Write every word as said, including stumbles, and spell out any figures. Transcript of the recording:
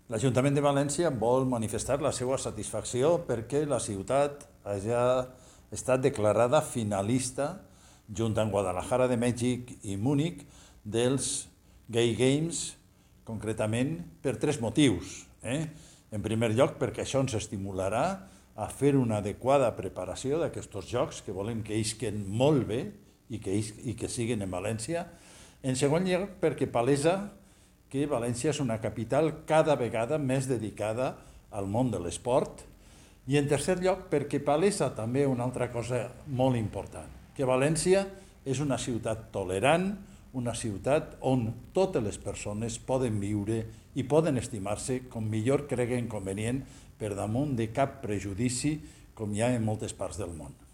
L'Ajuntament de València vol manifestar la seva satisfacció perquè la ciutat hagi estat declarada finalista, junt amb Guadalajara de Mèxic i Múnich, dels Gay Games, concretament per tres motius. Eh? En primer lloc, perquè això ens estimularà a fer una adequada preparació d'aquests jocs, que volem que isquen molt bé i que, i que siguin en València. En segon lloc, perquè palesa que València és una capital cada vegada més dedicada al món de l'esport. I en tercer lloc, perquè palesa també una altra cosa molt important, que València és una ciutat tolerant, una ciutat on totes les persones poden viure i poden estimar-se com millor creguen convenient per damunt de cap prejudici com hi ha en moltes parts del món.